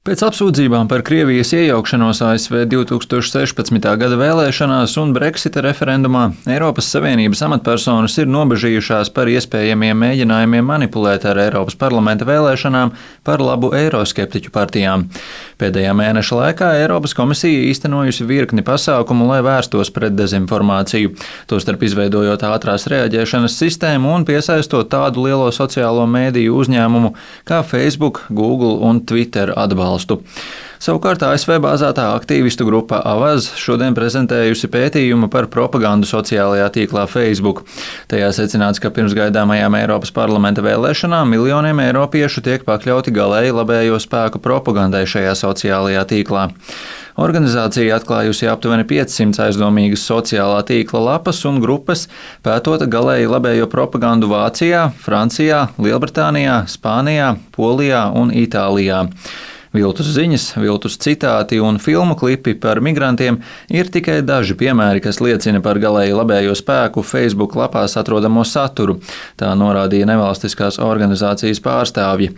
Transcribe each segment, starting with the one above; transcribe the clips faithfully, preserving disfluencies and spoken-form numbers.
Pēc apsūdzībām par Krievijas iejaukšanos A S V divtūkstoš sešpadsmitā gada vēlēšanās un Brexita referendumā Eiropas Savienības amatpersonas ir nobežījušās par iespējamiem mēģinājumiem manipulēt ar Eiropas parlamenta vēlēšanām par labu eiroskeptiķu partijām. Pēdējā mēneša laikā Eiropas komisija īstenojusi virkni pasākumu, lai vērstos pret dezinformāciju, tostarp izveidojot ātrās reaģēšanas sistēmu un piesaistot tādu lielo sociālo mēdīju uzņēmumu kā Facebook, Google un Twitter atbalstu. Savukārt A S V bāzētā aktīvistu grupa Avaz šodien prezentējusi pētījumu par propagandu sociālajā tīklā Facebook. Tajā secināts, ka pirms gaidāmajām Eiropas parlamenta vēlēšanām miljoniem eiropiešu tiek pakļauti galēji labējo spēku propagandai šajā sociālajā tīklā. Organizācija atklājusi aptuveni piecsimt aizdomīgas sociālā tīkla lapas un grupas, pētot galēji labējo propagandu Vācijā, Francijā, Lielbritānijā, Spānijā, Polijā un Itālijā. Viltus ziņas, viltus citāti un filmu klipi par migrantiem ir tikai daži piemēri, kas liecina par galēji labējo spēku Facebook lapās atrodamo saturu, tā norādīja nevalstiskās organizācijas pārstāvji.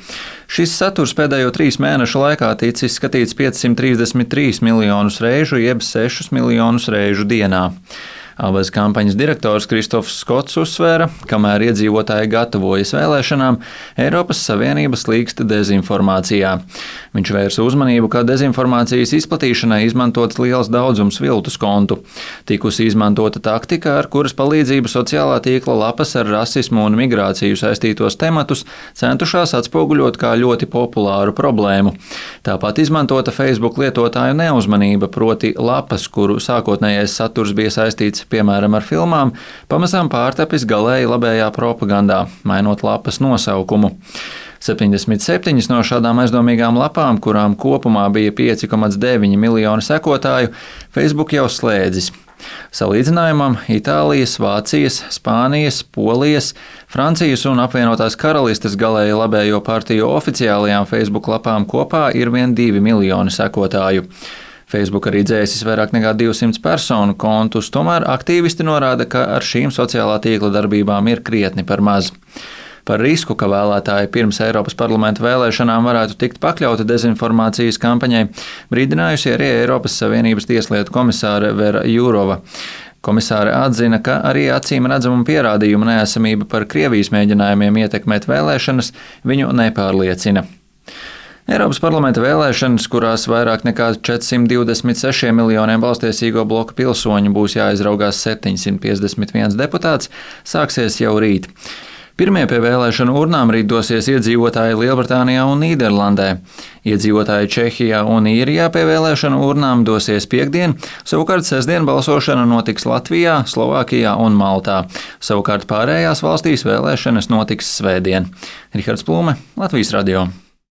Šis saturs pēdējo trīs mēnešu laikā ticis skatīts piecsimt trīsdesmit trīs miljonus reižu, jeb sešus miljonus reižu dienā. Abas kampaņas direktors Kristofs Skots uzsvēra, kamēr iedzīvotāji gatavojas vēlēšanām, Eiropas Savienība slīkst dezinformācijā. Viņš vērsa uzmanību, ka dezinformācijas izplatīšanai izmantots liels daudzums viltus kontu. Tikusi izmantota taktika, ar kuras palīdzību sociālā tīkla lapas ar rasismu un migrāciju saistītos tematus centušās atspoguļot kā ļoti populāru problēmu. Tāpat izmantota Facebook lietotāju neuzmanība, proti lapas, kuru sākotnējais saturs bija saistīts piemēram ar filmām, pamazām pārtapis galēji labējā propagandā, mainot lapas nosaukumu. septiņdesmit septiņas no šādām aizdomīgām lapām, kurām kopumā bija pieci komats deviņi miljoni sekotāju, Facebook jau slēdzis. Salīdzinājumam Itālijas, Vācijas, Spānijas, Polijas, Francijas un apvienotās karalistes galēji labējo partiju oficiālajām Facebook lapām kopā ir vien divi miljoni sekotāju. Facebook arī dzēsis vairāk nekā divsimt personu kontus, tomēr aktīvisti norāda, ka ar šīm sociālā tīkla darbībām ir krietni par maz. Par risku, ka vēlētāji pirms Eiropas parlamenta vēlēšanām varētu tikt pakļauti dezinformācijas kampaņai, brīdinājusi arī Eiropas Savienības tieslietu komisāre Vera Jūrova. Komisāre atzina, ka arī acīm redzamu pierādījumu neesamība par Krievijas mēģinājumiem ietekmēt vēlēšanas viņu nepārliecina. Eiropas parlamenta vēlēšanas, kurās vairāk nekā četrsimt divdesmit sešiem miljoniem balstiesīgo bloka pilsoņu būs jāizraugās septiņsimt piecdesmit viens deputāts, sāksies jau rīt. Pirmie pie vēlēšanu urnām rīt dosies iedzīvotāji Lielbritānijā un Nīderlandē. Iedzīvotāji Čehijā un Īrijā pie vēlēšanu urnām dosies piektdien, savukārt sestdien balsošana notiks Latvijā, Slovākijā un Maltā. Savukārt pārējās valstīs vēlēšanas notiks svētdien. Rihards Plūme, Latvijas radio.